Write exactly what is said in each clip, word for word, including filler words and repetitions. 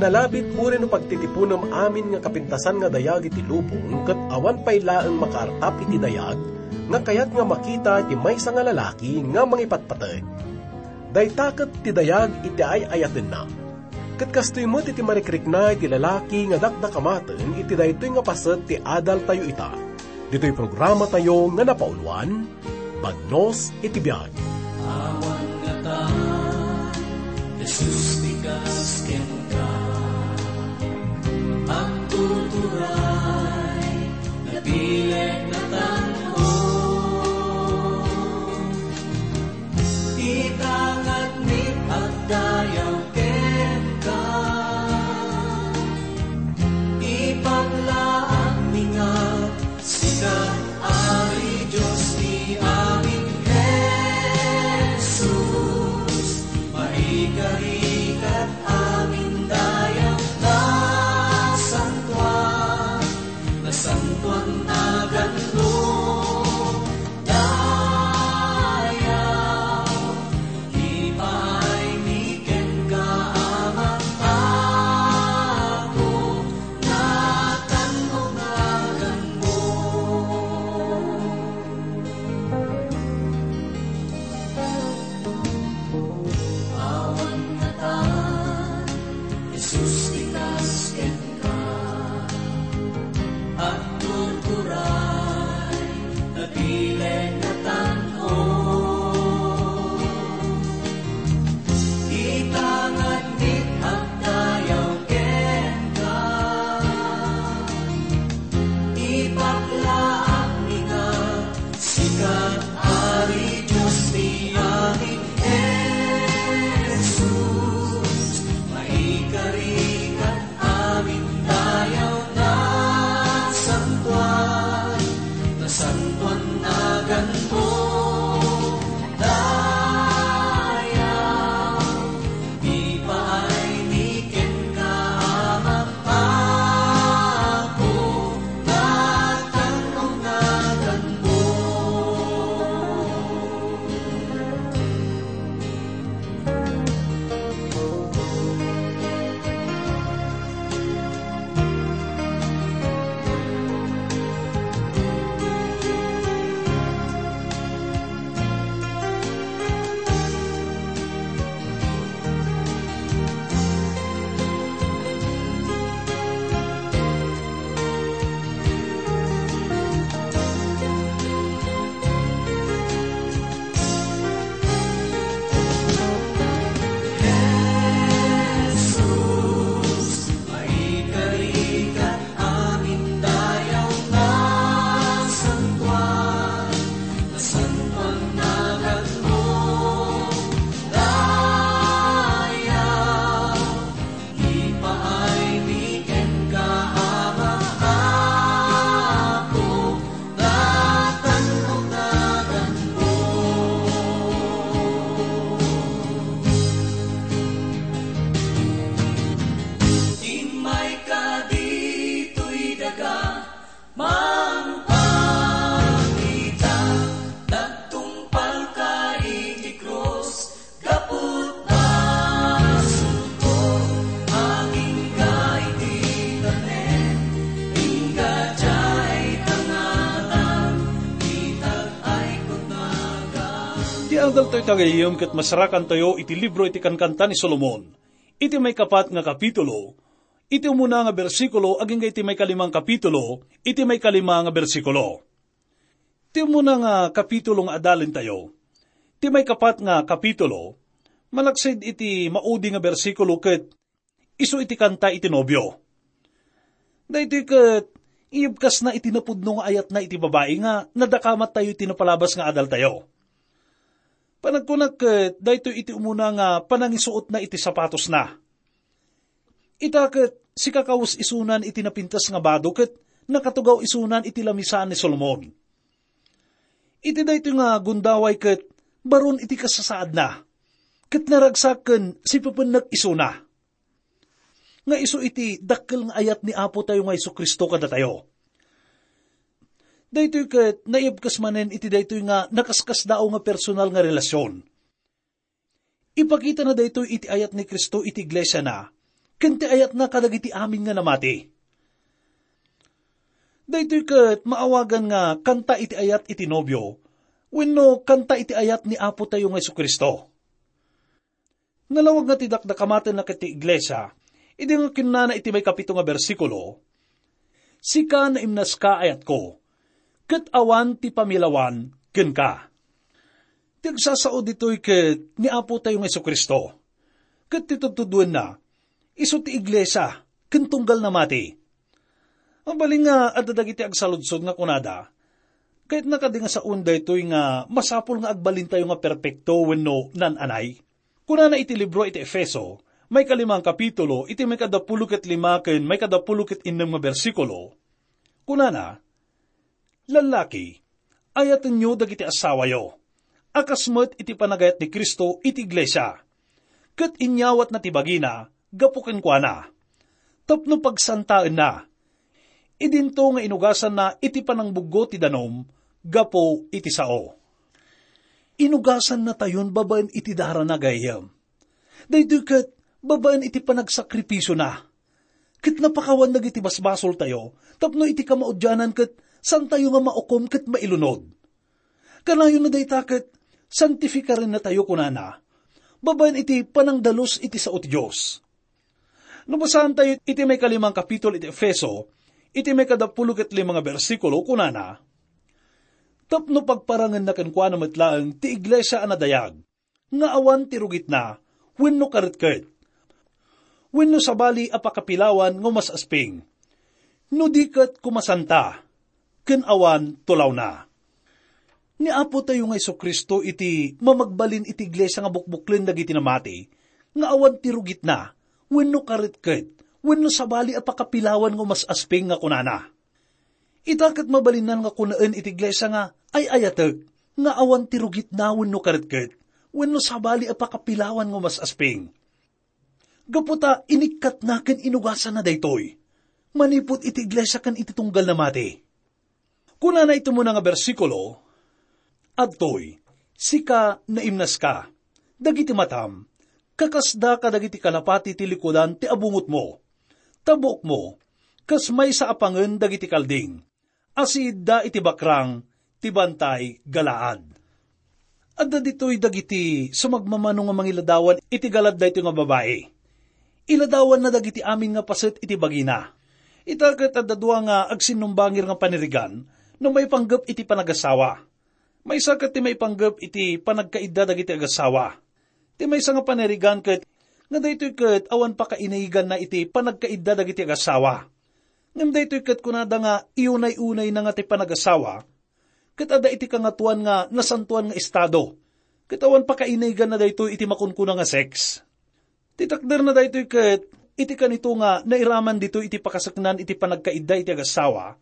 Nalabit uray no pagtitiponem amin nga kapintasan nga dayag iti lubong ket awan pay laeng makaartap iti dayag nga kayat nga makita iti maysa nga lalaki nga mangipatpateg. Dayta ket ti dayag iti ay-ayatenna. Ket kastoy met iti marikrikna iti lalaki nga dakdakamaten iti daytoy nga paset ti adaltayo ita. Ditoy programatayo nga napauluan, Bagnos iti Biag. Awan ngatan, Jesus, ti kas kenka. Agtuturay, nabileg, natanong. Ita ngarud agdayaw kenka. Ipaglaak mi nga sika, Ari Dios ti amin, Jesus, maikari ket amin dayaw, nasantoan, nasantoan naganmo, dayaw, ipaay mi kenka, Ama, Apo, natanong naganmo. Awan ngatan, Jesus, ti kas kenka. Agturturay, nabileg, natanong. Ita ngarud agdayaw kenka. Ipaglaak mi nga sika, Ari Dios ti amin, Jesus, maikari ket amin dayaw, nasantoan, nasantoan naganmo, dayaw, ipaay mi kenka, Ama, Apo, natanong naganmo. Jesus, maikari ket amin dayaw, nasantoan, nasantoan naganmo, dayaw. Ipaay mi kenka, Ama, Apo, natanong naganmo. Immayka ditoy daga, mangpakita, nagtungpalka iti krus, gapu ta sumko, agingga iti tanem, ingga diay tangatang, itag-ay kun nagan. Ti adaltayo ita gayyem ket masarakantayo iti libro iti Kankanta ni Solomon, iti maikapat nga kapitulo, iti umuna nga bersikulo agingga iti maikalima nga kapitulo, iti maikalima nga bersikulo. Ti umuna nga kapitulo nga adalentayo, ti maikapat nga kapitulo, malaksid iti maudi nga bersikulo ket isu iti kanta iti nobio. Daytoy ket iyebkasna iti napudno nga ayatna iti babai nga nadakamattayo iti napalabas nga adaltayo. Panagkunak ket daytoy iti umuna nga panangisuotna iti sapatosna. Ita ket sikakawes isunan iti napintas nga bado ket nakatugaw isunan iti lamisaan ni Solomon. Iti daytoy nga gundaway ket baron iti kasasaadna, ket naragsak ken sipepennek isuna. Nga isu iti dakkel nga ayat ni Apotayo nga Jesu-Cristo kadatayo. Daytoy ket naibkes manen iti daytoy nga nakaskasdaaw nga personal nga relasyon. Ipakitana daytoy iti ayat ni Cristo iti iglesiana, ken ti ayatna kadagiti amin nga namati. Daytoy ket maawagan nga kanta iti ayat iti nobio, wenno kanta iti ayat ni Apo tayo nga Jesu-Cristo. Nalawag nga ti dakdakamatenna ket ti iglesia, idi nga kinnana iti maikapito nga bersikulo, "Sika naimnaska, ayatko, ket awan ti pamilawan kenka." Ti agsasao ditoy ket ni Apo tayo nga Jesu-Cristo, ket ti tudtuduenna, isu ti iglesia, ken tunggal namati. Mabalin nga adda dagiti agsaludsod nga kunada, "Kayatna kadi nga saon daytoy nga masapul nga agbalintayo nga perpekto wenno nan-anay?" Kunana iti libro iti Efeso, maikalimang kapitulo, iti maikadapulo ket lima ken maikadapulo ket innem nga bersikulo, kunana, "Lallaki, ayatenyo dagiti asawayo, a kas met iti panagayat ni Cristo iti iglesia, ket inyawatna ti bagina gapu kenkuana, tapno pagsantaenna. Idinto nga inugasanna iti panangbuggo ti danum gapu iti sao." Inugasannatayon babaen iti darana, gayyem. Daytoy ket babaen iti panagsakripisiona. Ket napakawan dagiti basbasoltayo tapno iti kamaudianan ket santayo nga maukom ket mailunod. Kanayon a dayta ket santifikarennatayo, kunana, babaen iti panangdalus iti sao ti Dios. No basaantayo iti maikalimang kapitulo iti Efeso, iti maikadapulo ket lima nga bersikulo, kunana, "Tapno pagparangenna kenkuana met laeng ti iglesia a nadayag, nga awan ti rugitna wenno karetket, wenno sabali a pakapilawan nga umas-asping, no di ket kumasanta ken awan tulawna." Ni Apo tayo nga Jesu-Cristo iti mamagbalin iti iglesia nga bukbuklen dagiti namati, nga awan ti rugitna wenno karetket, wenno sabali a pakapilawan nga umas-asping nga kunana, "Ita ket mabalinnan nga kunaen iti iglesia nga ay-ayatek, nga awan ti rugitna wenno karetket, wenno sabali a pakapilawan nga umas-asping." Gapu ta inikkatna ken inugasanna daytoy manipud iti iglesia ken iti tunggal namati. Kunana iti umuna nga bersikulo, "Adtoy, sika naimnaska, dagiti matam, kakasda kadagiti kalapati ti likudan ti abungotmo, ta buokmo, kas maysa a pangen dagiti kalding, a siidda iti bakrang ti bantay Galaad." Adda ditoy dagiti sumagmamano nga mangiladawan iti galad daytoy nga babai. Iladawanna dagiti amin nga paset iti bagina. Ita ket adda dua nga agsinnumbangir nga panirigan no maipanggep iti panagasawa. Maysa ket ti maipanggep iti panagkaidda dagiti agasawa. Ti maysa nga panirigan ket nga daytoy ket awan pakainiganna iti panagkaidda dagiti agasawa. Ngem daytoy ket kunada nga iyunay-unayna nga ti panagasawa, ket adda iti Kangatoan nga Nasantoan nga Estado, ket awan pakainiganna daytoy iti makunkuna nga sex. Ti takderna daytoy ket iti kanito nga nairaman ditoy iti pakaseknan iti panagkaidda iti agasawa,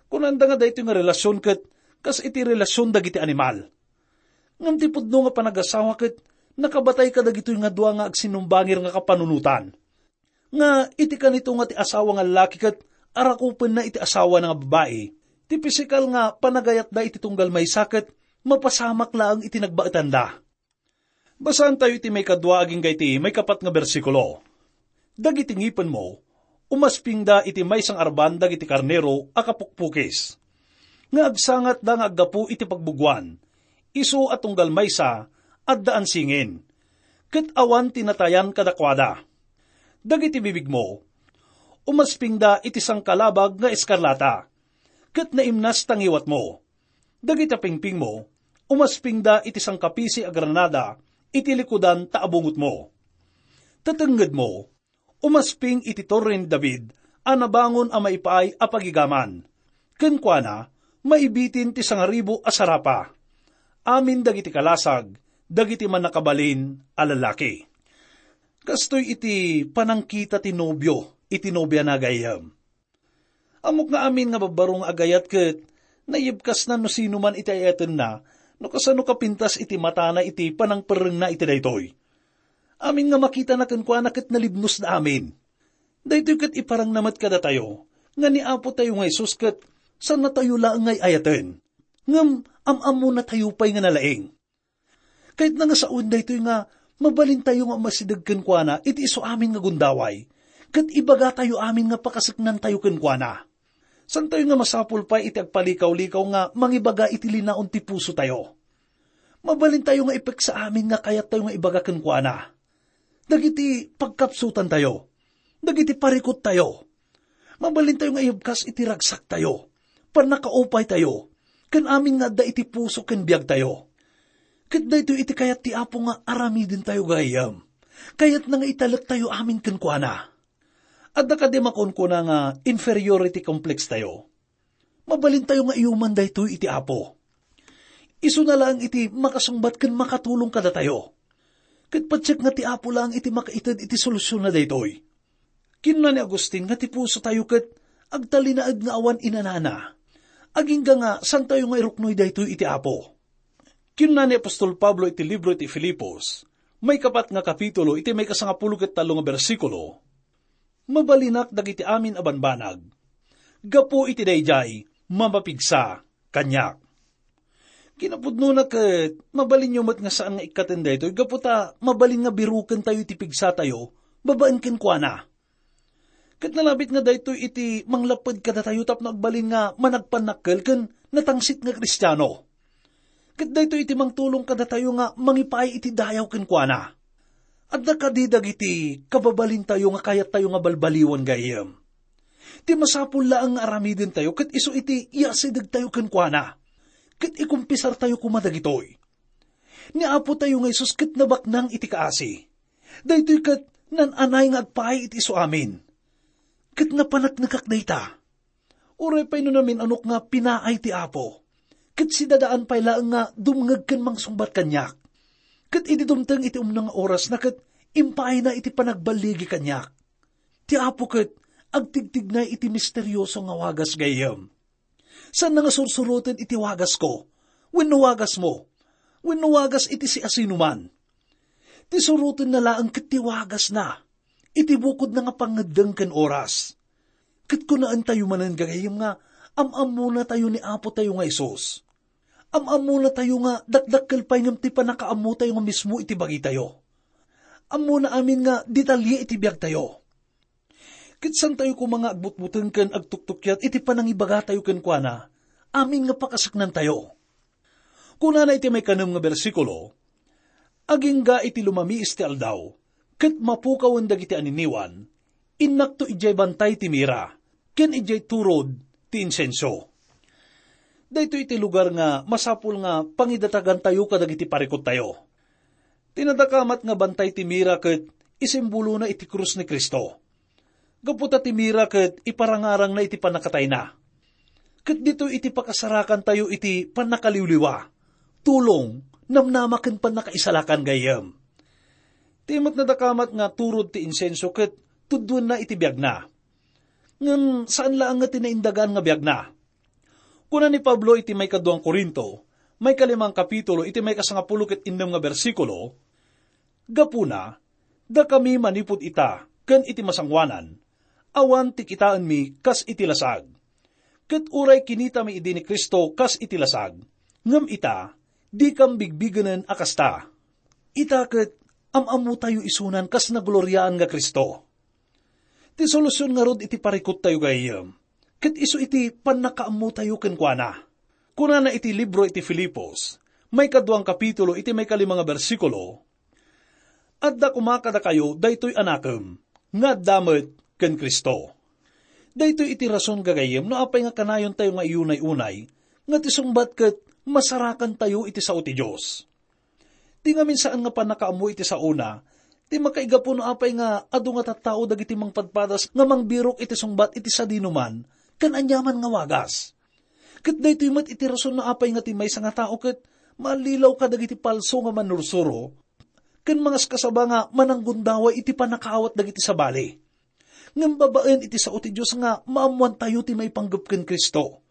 kunanda nga daytoy nga relasion ket kas iti relasion dagiti animal. Ngem ti pudno nga panagasawa ket nakabatay kadagitoy nga dua nga agsinumbangir nga kapanunotan. Nga iti kanito nga ti asawa nga laki ket arakupenna iti asawana nga babai, ti pisikal nga panagayatda iti tunggal maysa ket mapasamak laeng iti nagbaetanda. Basaantayo iti maikadua agingga iti maikapat nga bersikulo. "Dagiti ngipenmo, umaspingda iti maysa nga arban dagiti karnero a kapukpukis, nga agsangatda nga aggapu iti pagbuguan, isu a tunggal maysa, addaan singin, ket awan ti natayan kadakuada. Dagiti bibigmo, umaspingda iti sangkalabag nga eskarlata, ket naimnas ta ngiwatmo. Dagiti pingpingmo, umaspingda iti sangkapisi a granada iti likudan ta abungotmo. Tatengngedmo, umasping iti Torre ni David a nabangon a maipaay a pagigaman. Kenkuana, maibitin ti sangaribu a sarapa. Amin dagiti kalasag, dagiti mannakabalin a lalaki." Kastoy iti panangkita ti nobio iti nobiana, gayyem. Ammok nga amin nga babbaro nga agayat ket naiyebkasna no sinoman iti ay-ayatenna, no kasano kapintas iti matana iti panangperrengna iti daytoy. Amin nga makitana kenkuana ket nalibnosda amin. Daytoy ket iparangna met kadatayo nga ni Apo tayo nga Jesus ket saannatayo laeng nga ay-ayaten, ngem am-ammonatayo pay nga nalaing. Kayatna nga sawen daytoy nga mabalintayo nga umasideg kenkuana iti isu amin nga gundaway, ket ibagatayo amin nga pakaseknantayo kenkuana. Santayo nga masapul pay iti agpalikaw-likaw nga mangibaga iti linaon ti pusotayo. Mabalintayo nga ipeksa amin nga kayattayo nga ibaga kenkuana. Dagiti pagkapsutantayo, dagiti parikuttayo, mabalintayo nga ibkas iti ragsaktayo, pannakaupaytayo, ken amin nga adda iti puso ken biagtayo. Ket daytoy iti kayat ti Apo nga aramidentayo gayam. Kayatna nga italektayo amin kenkuana. Adda kadi makunkuna nga inferiority complex tayo? Mabalintayo nga iyuman daytoy iti Apo. Isuna laeng iti makasungbat ken makatulong kadatayo. Ket patiek nga ti Apo laeng iti makaited iti solusyon na daytoy. Kinuna ni Agustin nga ti pusotayo ket agtalinaed nga awan inanana, agingga nga santayo nga iruknoy daytoy iti Apo. Kinuna ni apostol Pablo iti libro iti Filipos, maikapat nga kapitulo, iti maikasangapulo ket tallo nga bersikulo, "Mabalinak dagiti amin a banbanag. Gapu iti daydiay, mamapigsa kaniak." Kinapudnona ket mabalinyo met nga saan nga ikkaten daytoy gapu ta mabalin nga birukentayo iti pigsatayo babaen kenkuana. Ket nalabit nga daytoy iti manglapped kadatayo tapno agbalin nga managpannakkel ken natangsit nga Kristiano. Ket daytoy iti mangtulong kadatayo nga mangipaay iti dayaw kenkuana. Adda kadi dagiti kababalintayo nga kayattayo nga balbaliwan gayam? Ti masapul laeng nga aramidentayo ket isu iti iyasidegtayo kenkuana. Ket ikumpisartayo koma dagitoy. Ni Apotayo nga Jesus ket nabaknang iti kaasi. Daytoy ket nan-anay nga agpaay iti isuamin. Ket napaneknekak dayta. Uray pay no namin-anok nga pinaay ti Apo, ket sidadaan pay laeng nga dumngeg ken mangsungbat kaniak. Ket idi dumteng iti umno nga orasna ket impaayna iti panagballigi kaniak. Ti Apo ket agtigtignay iti misterioso nga wagas gayam. Saanna nga sursuroten iti wagasko, wenno wagasmo, wenno wagas iti siasinoman. Ti surotenna laeng ket ti wagasna, iti bukodna nga pangngeddeng ken oras. Ket kunaentayo manen gagayyem nga am-ammonatayo ni Apotayo nga Jesus. Am-ammonatayo nga dakdakkel pay ngem ti pannakaammotayo nga mismo iti bagitayo. Ammona amin nga detalye iti biagtayo. Ket saantayo koma nga agbutbuteng ken agtuktukiat iti panangibagatayo kenkuana, amin nga pakaseknantayo. Kunana iti maikanem nga bersikulo, "Agingga iti lumamiis ti aldaw, ket mapukawen dagiti aniniwan, innakto idiay bantay ti mira, ken idiay turod ti insenso." Daytoy iti lugar nga masapul nga pangidatagantayo kadagiti parikuttayo. Ti nadakamat nga bantay ti mira ket isimbolona iti krus ni Cristo. Gapu ta ti mira ket iparangarangna iti pannakatayna. Ket ditoy iti pakasarakantayo iti pannakaliwliwa, tulong, namnama ken pannakaisalakan gayam. Ti met nadakamat nga turod ti insenso ket tuddoenna iti biagna. Ngem saan laeng nga ti naindagan nga biagna. Kuna ni Pablo iti maikaduang Corinto, maikalimang kapitulo, iti maikasangapulo ket innem nga bersikulo, "Gapuna, dakami manipud ita ken iti masangoanan, awan ti kitaenmi kas iti lasag. Ket uray kinitami idi ni Cristo kas iti lasag, ngem ita, dikam bigbigenen a kasta. Ita ket am-ammotayo isunan kas nagloriaan nga Cristo." Ti solusion ngarud iti parikuttayo gayam, ket isu iti pannakaammotayo kenkuana. Kunana iti libro iti Filipos, maikaduang kapitulo iti maikalima nga bersikulo, "Adda koma kadakayo daytoy a nakem, nga adda met ken Cristo." Daytoy iti rason gagayyem no apay nga kanayontayo nga iyunay-unay, nga ti sungbat ket masarakantayo iti sao ti Dios. Ti ngamin saan nga pannakaammo iti saona, ti makaigapu no apay nga adu nga tattao dagiti mangpadpadas nga mangbirok iti sungbat iti sadinoman ken aniaman nga wagas. Ket daytoy met iti rason no apay nga ti maysa nga tao ket mallilaw kadagiti palso nga mannursuro ken mangaskasaba nga mananggundaway iti pannakaawat dagiti sabali. Ngem babaen iti sao ti Dios nga maammoantayo ti maipanggep ken Cristo.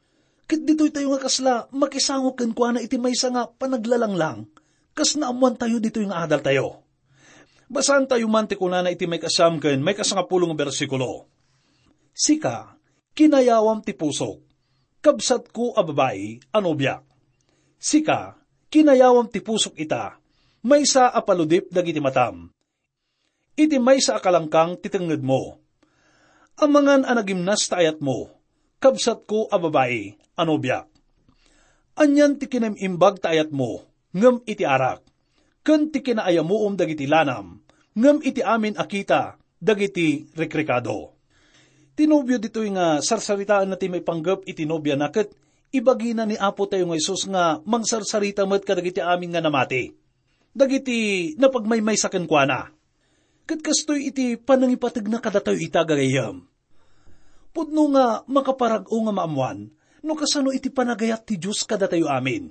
Ket ditoytayo nga kasla makisango kenkuana iti maysa nga panaglalanglang, kas naammoantayo ditoy nga adaltayo. Basaantayo man ti kunana iti maikasiam ken maikasangapulo nga bersikulo, "Sika, kinayawam ti pusok, kabsatko a babai a nobiak. Sika, kinayawam ti pusok ita, maysa a paludip dagiti matam. Iti maysa a kalangkang ti tengngedmo. Amangan a nagimnas ta ayatmo, kabsatko a babai a nobiak. Anian ti kinaim-imbag ta ayatmo, ngem iti arak, ken ti kinaayamuom dagiti lanam, ngem iti amin a kita dagiti rikrikado. Ti nobio ditoy nga sarsaritaenna ti maipanggep iti nobiana ket ibagina ni Apo tayo nga Jesus nga mangsarsarita met kadagiti amin nga namati, dagiti napagmaymaysa kenkuana. Ket kastoy iti panangipategna kadatayo ita, gagayyem. Pudno nga makaparag-o nga maammoan no kasano iti panagayat ti Dios kadatayo amin.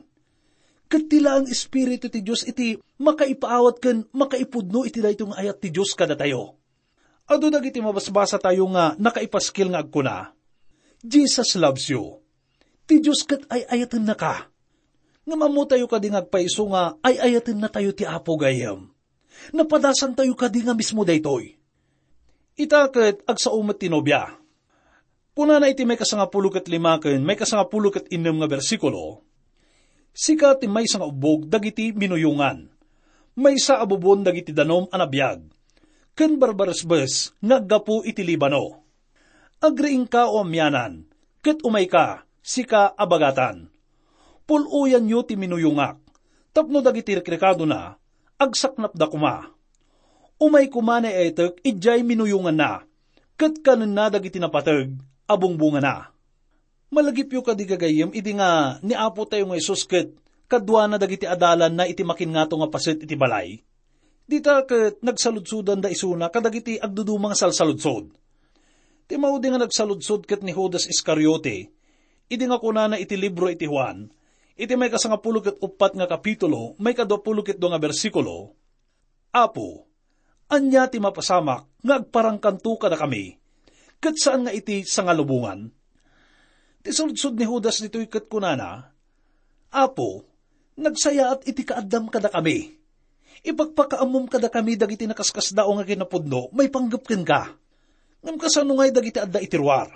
Ket ti laeng Espiritu ti Dios iti makaipaawat ken makaipudno iti daytoy nga ayat ti Dios kadatayo. Adu dagiti mabasbasatayo nga nakaipaskil nga agkuna, "Jesus loves you." Ti Dios ket ay-ayatennaka. Ngem ammotayo kadi nga agpayso nga ay-ayatennatayo ti Apo, gayyem? Napadasantayo kadi nga mismo daytoy? Ita ket agsao met ti nobia. Kunana iti maikasangapulo ket lima ken maikasangapulo ket innem nga bersikulo, "Sika ti maysa nga ubbog dagiti minuyongan, maysa a bubon dagiti danum a nabiag, ken barbaresbes nga aggapu iti Libano. Agriingka, o amianan, ket umayka, sika a bagatan. Pul-oyanyo ti minuyongak, tapno dagiti rikrikadona, agsaknapda koma. Umay koma ni etek idiay minuyonganna, ket kanenna dagiti napateg a bungbongana." Malagipyo kadi, gagayyem, idi nga ni Apo tayo nga Jesus ket kaduana dagiti adalanna iti makinngato nga paset iti balay? Dita ket nagsaludsodanda isuna kadagiti agduduma nga salsaludsod. Ti maudi nga nagsaludsod ket ni Judas Iscariote, idi nga kunana iti libro iti Juan, iti maikasangapulo ket uppat nga kapitulo, maikaduapulo ket dua nga bersikulo, "Apo, ania ti mapasamak nga agparangkanto kadakami, ket saan nga iti sangalubongan?" Ti sudsod ni Judas ditoy ket kunana, "Apo, nagsayaat iti kaaddam kadakami. Ipakpakaammom kadakami dagiti nakaskasdaaw nga kinapudno maipanggep kenka. Ngem kasano ngay dagiti adda iti ruar?"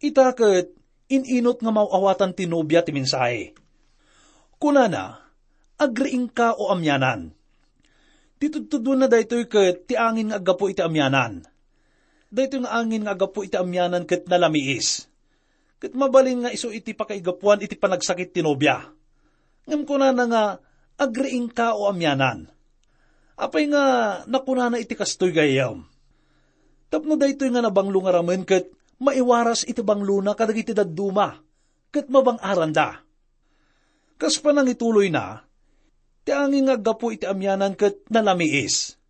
Ita ket in-inut nga maaw-awatan ti nobia ti mensahe. Kunana, "Agriingka, o amianan." Ti tudtudonna daytoy ket ti angin nga aggapu iti amianan. Daytoy nga angin nga aggapu iti amianan ket nalamiis. Ket mabalin nga isu iti pakaigapuan iti panagsakit ti nobia. Ngem kunana nga, "Agriingka, o amianan." Apay nga nakunana iti kastoy, gayyem? Tapno daytoy nga nabanglo nga ramen ket maiwaras iti banglona kadagiti dadduma ket mabang-aranda. Kas panangituloyna, ti angin nga aggapu iti amianan ket nalamiis,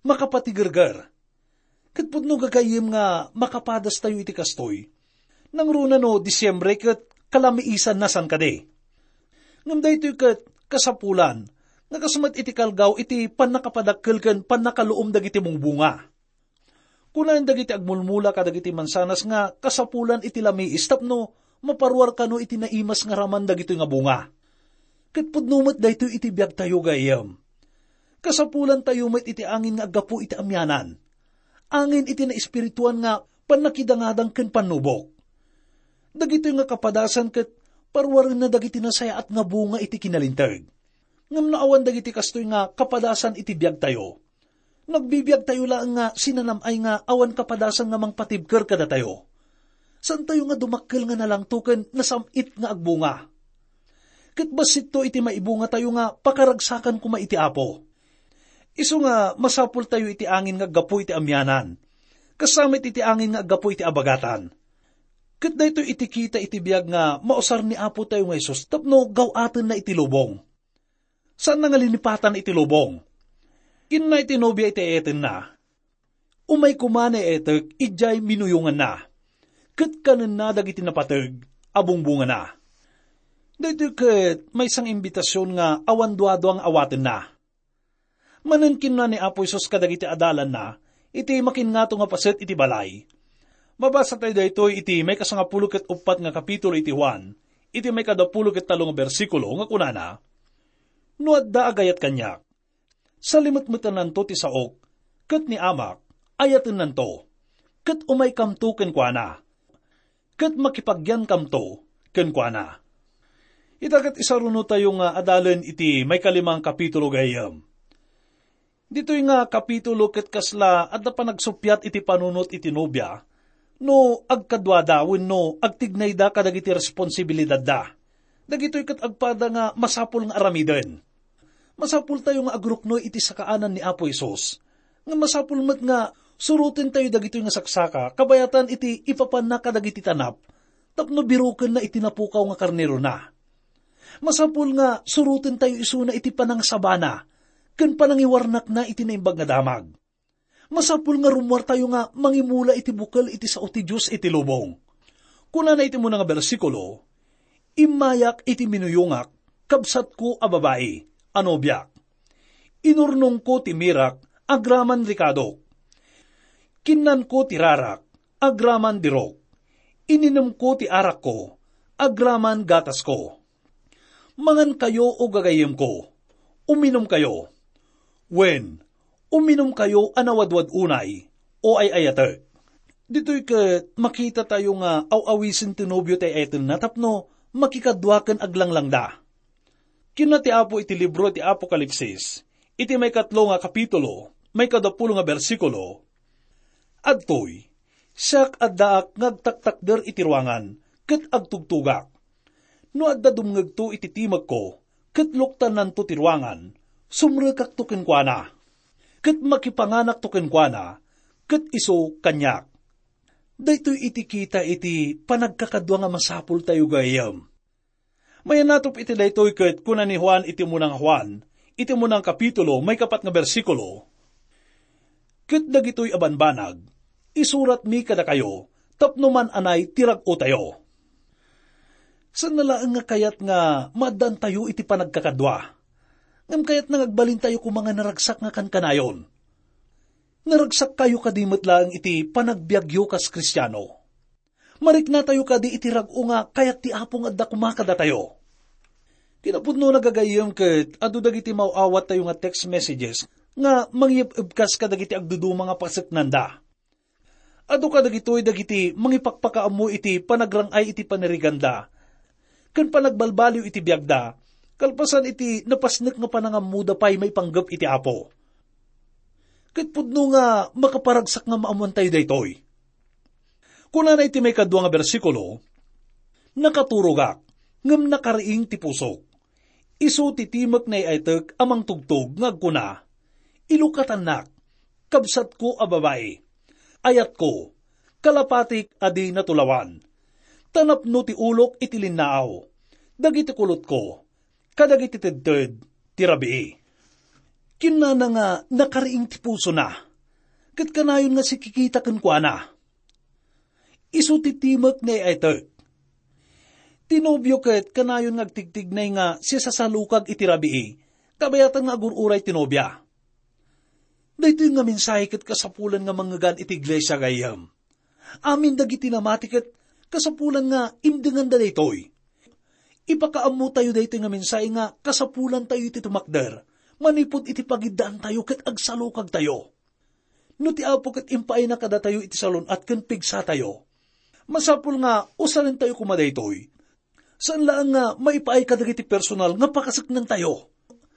makapatigerger. Ket pudno, gagayyem, nga makapadastayo iti kastoy. Nangruna no Disiembre ket kalamiisanna, saan kadi? Ngem daytoy ket kasapulan nga kas met iti kalgaw iti pannakapadakkel ken pannakaluom dagiti bungbonga. Kunaen dagiti agmulmula kadagiti mansanas nga kasapulan iti lamiis tapno maparuar kano iti naimas nga raman dagitoy nga bunga. Ket pudno met daytoy iti biagtayo, gayyem. Kasapulantayo met iti angin nga aggapu iti amianan. Angin iti naespirituan nga pannakidangadang ken pannubok. Dagitoy nga kapadasan ket paruarenna dagiti nasayaat nga bunga iti kinalinteg. Ngem no awan dagiti kastoy nga kapadasan iti biagtayo, nagbibiagtayo laeng nga sinanam-ay nga awan kapadasan nga mangpatibker kadatayo. Saantayo nga dumakkel nga nalangto ken nasam-it nga agbunga. Ket bassitto iti maibungatayo nga pakaragsakan koma iti Apo. Isu nga masapultayo iti angin nga aggapu iti amianan, kas sa met iti angin nga aggapu iti abagatan. Ket daytoy iti kita iti biag nga mausar ni Apo tayo nga Jesus tapno gaw-atenna iti lubong. Saanna nga linipatan iti lubong. Kinuna iti nobia iti eetenna, "Umay koma ni etek idiay minuyonganna, ket kanenna dagiti napateg a bungbongana." Daytoy ket maysa nga imbitasion nga awan duadua nga awatenna. Manen kinuna ni Apo Jesus kadagiti adalanna iti makinngato nga paset iti balay. Mabasa tayo daytoy iti maikasangapulo ket uppat nga kapitulo iti Juan, iti maikadapulo ket tallo nga bersikulo nga kunana, "No adda agayat kaniak, salimetmetennanto ti saok, ket ni Amak, ayatennanto, ket umaykamto kenkuana, ket makipagyankamto kenkuana." Ita ket isarunotayo nga adalen iti maikalimang kapitulo, gayyem. Ditoy nga kapitulo ket kasla adda panagsuppiat iti panunot iti nobia, No agkaduada wenno agtignayda kadagiti responsibilidadda, dagitoy ket agpada nga masapul nga aramiden. Masapultayo nga agruknoy iti sakaanan ni Apo Jesus. Nga masapul met nga surotentayo dagitoy nga saksaka kabayatan iti ipapanna kadagiti tanap tapno birokenna iti napukaw nga karnerona. Masapul nga surotentayo isuna iti panangasabana ken panangiwarnakna iti naimbag nga damag. Masapul nga rummuartayo nga mangimula iti bukel iti sao ti Dios iti lubong. Kunana iti umuna nga bersikulo, "Immayak iti minuyongak, kabsatko a babai, a nobiak. Inurnongko ti mirak, agraman rikadok. Kinnanko ti rarak, agraman dirok. Ininemko ti arakko, agraman gatasko. Mangankayo, o gagayyemko, uminumkayo. Wen, uminumkayo a nawadwad unay, o ay-ayatek." Ditoy ket makitatayo nga aw-awisen ti nobio ti ay-ayatenna tapno makikadua ken aglanglang da. Kinuna ti Apo iti libro ti Apokalipsis, iti maikatlo nga kapitulo, maikadapulo nga bersikulo, "Adtoy, siak addaak nga agtaktakder iti ruangan ket agtugtugak. No adda dumngegto iti timekko ket luktannanto ti ruangan, sumrekakto kenkuana, ket makipanganakto kenkuana, ket isu kaniak." Daytoy iti kita iti panagkakadua nga masapultayo gayyem. Mayanatop iti daytoy ket kuna ni Juan iti umuna nga Juan, iti umuna nga kapitulo, maikapat nga bersikulo, "Ket dagitoy a banbanag, isuratmi kadakayo tapno man-anay ti rag-otayo." Saan na laeng nga kayat nga maaddaantayo iti panagkakadua, ngem kayatna nga agbalintayo koma nga naragsak nga kankanayon. Naragsakkayo kadi met laeng iti panagbiagyo kas Kristiano? Mariknatayo kadi iti rag-o nga kayat ti Apo nga adda koma kadatayo? Kinapudno, gagayyem, ket adu dagiti maaw-awattayo nga text messages nga mangiyeb-ebkas kadagiti agduduma nga paseknanda. Adu kadagitoy dagiti mangipakpakaammo iti panagrang-ay iti paniriganda ken panagbalbaliw iti biagda, kalpasan iti napasnek nga panangammoda pay maipanggep iti Apo. Ket pudno nga makaparagsak nga maammoantayo daytoy. Kunana iti maikadua nga bersikulo, "Nakaturogak, ngem nakariing ti pusok. Isu ti timek nga ay-aytek a mangtugtog nga agkuna, 'Ilukatannak, kabsatko a babai, ayatko, kalapatik a di natulawan. Ta napno ti ulok iti linnaaw, dagiti kulotko, kadagiti tedted ti rabii.'" Kinunana nga nakariing ti pusona, ket kanayon nga sikikita kenkuana. Isu ti timek nga ay-aytek. Ti nobio ket kanayon nga agtigtignay nga sisasalukag iti rabii, kabayatan nga agur-uray ti nobia. Daytoy nga mensahe ket kasapulan nga mangngegan iti iglesia, gayyem. Amin dagiti namati ket kasapulan nga imdenganda daytoy. Ipakaammotayo daytoy nga mensahe nga kasapulantayo iti tumakder manipud iti pagiddaantayo ket agsalukagtayo. No ti Apo ket impaayna kadatayo iti salun-at ken pigsatayo, masapul nga usalintayo koma daytoy. Saan laeng nga maipaay kadagiti personal nga pakaseknantayo,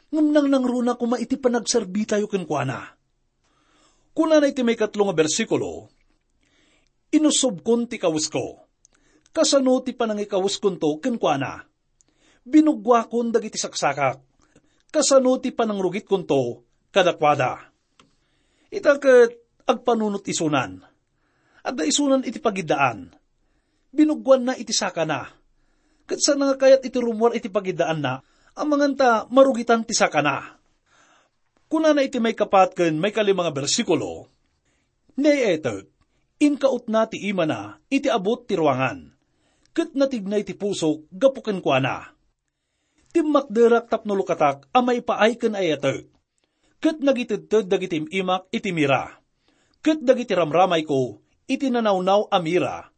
ngem nangnangruna koma iti panagserbitayo kenkuana. Kunana iti maikatlo nga bersikulo, "Inusobkon ti kawesko. Kasano ti panangikaweskonto kenkuana? Binuggoakon dagiti saksakak. Kasano ti panangrugitkonto kadakuada?" Ita ket agpanunot isunan. Adda isunan iti pagiddaan. Binuggoanna iti sakana. Ket saan nga kayat iti rummuar iti pagiddaanna, amangan ta marugitan ti sakana. Kunana iti maikapat ken maikalima nga bersikulo, "Ni ay-aytek, inkautna ti imana iti abut ti ruangan, ket natignay ti pusok gapu kenkuana. Timmakderak tapno lukatak a maipaay ken ay-ayatek, ket nagitedted dagiti im-imak iti mira, ket dagiti ramramayko iti nanawnaw a mira,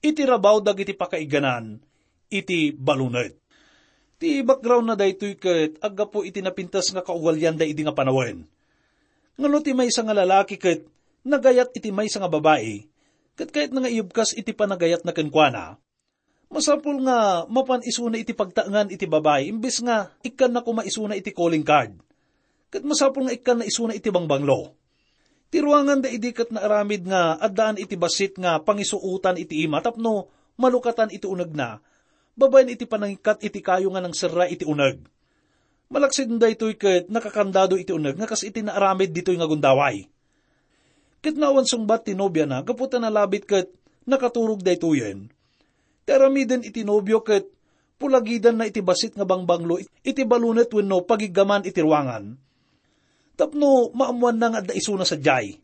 iti rabaw dagiti pakaiganan iti balunet." Ti background na daytoy ket aggapu iti napintas nga kaugalianda idi nga panawen. Ngano ti maysa nga lalaki ket nagayat iti maysa nga babai, ket kayatna nga iyebkas iti panagayatna kenkuana, masapul nga mapan isuna iti pagtaengan iti babai imbes nga ikkanna koma isuna iti calling card. Ket masapul nga ikkanna isuna iti bangbanglo. Ti ruangan daydi ket naaramid nga addaan iti bassit nga pangisuotan iti ima tapno malukatan iti unegna, babaen iti panangikkat iti kayo nga nangserra iti uneg. Malaksid daytoy ket nakakandado iti uneg nga kas iti naaramid ditoy nga gundaway. Ket naawan sungbat ti nobiana gapu ta nalabit ket nakaturog daytoyen. Ti aramiden iti nobio ket pulagidanna iti bassit nga bangbanglo iti balunet wenno pagiggaman iti ruangan. Tapno maammoanna nga adda isuna sadiay.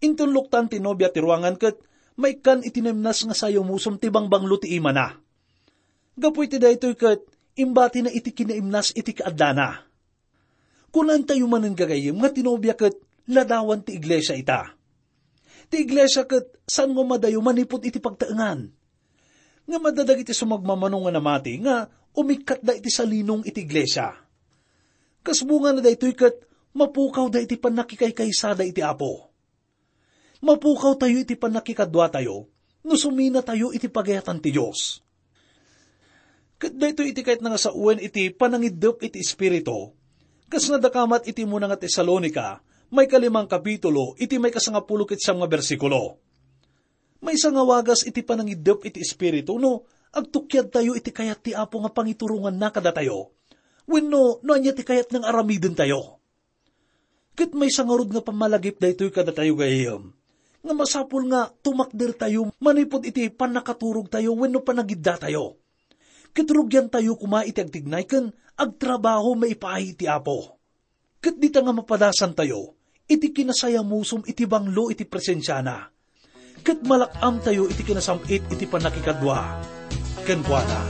Inton luktan ti nobia ti ruangan ket maikkan iti naimnas nga sayamusom ti bangbanglo ti imana. Gapu iti daytoy ket imbatina iti kinaimnas iti kaaddana. Kunantayo manen gagayyem nga ti nobia ket ladawan ti iglesia ita. Ti iglesia ket saan nga umadayo manipud iti pagtaengan. Ngem adda dagiti sumagmamano nga namati nga umikkatda iti salinong iti iglesia. Kas bungana daytoy ket mapukawda iti pannakikaysada iti Apo. Mapukawtayo iti pannakikaduatayo no suminatayo iti pagayatan ti Dios. Ket daytoy iti kayatna nga sawen iti panangiddep iti Espiritu, kas nadakamat iti muna nga Tesalonica, maikalimang kapitulo, iti maikasangapulo ket siam nga bersikulo. Maysa nga wagas iti panangiddep iti Espiritu no agtukiadtayo iti kayat ti Apo nga pangituronganna kadatayo, wenno no ania ti kayatna nga aramidentayo. Ket maysa ngarud nga pammalagip daytoy kadatayo gayyem, nga masapul nga tumakdertayo manipud iti pannakaturogtayo wenno panagiddatayo. Ket rugiantayo koma iti agtignay ken agtrabaho maipaay iti Apo. Ket dita nga mapadasantayo iti kinasayamusom iti banglo iti presensiana, ket malak-amtayo iti kinasam-it iti pannakikadua kenkuana.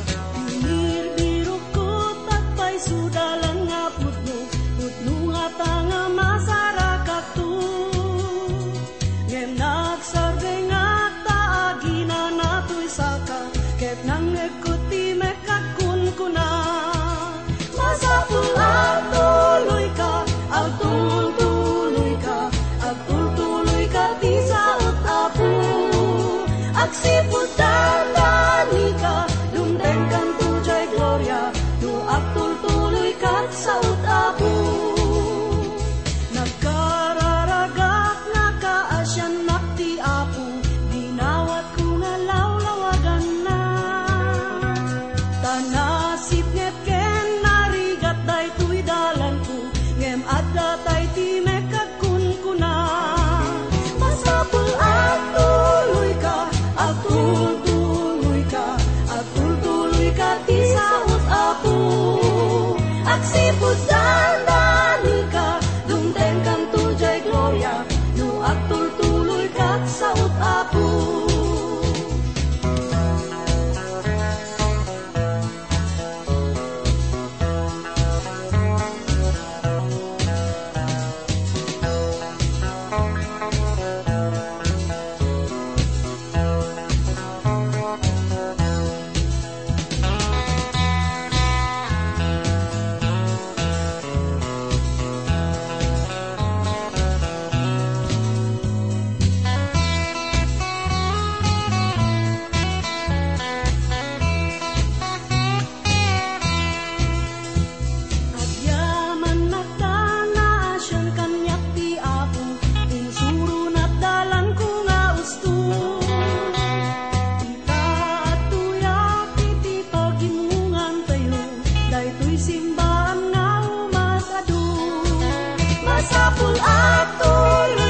Birbirokko, agpayso dalan nga pudno, pudno ngata nga masarakakto. Ngem nagsardengak ta aginana toy saka, ket nangngegko ti mekkad kunkuna. Masapul agtuloyka, agtultuloyka, agtultuloyka ti saot, Apo. Agsipud dandanika, dumtengkanto jay gloria, no agtultuloyka ti saot, Apo. Nagkararagak, nakaasiannak ti Apo, dinawatko nga lawlawaganna. Ta nasipnget ken narigat daytoy dalanko, ngem adda tay ti mekkad kunkuna. Masapul agtuloyka, agtultuloyka, agtultuloyka ti saot, Apo. Agsipud dandanika, dumtengkanto jay gloria, no agtultuloyka ti saot, Apo. Agyamannak ta naasian kaniak ti Apo, insuronat dalanko nga usto. Ita, adtoyak iti pagimmungantayo, daytoy simbaan nga umas-adu. Masapul a tuloy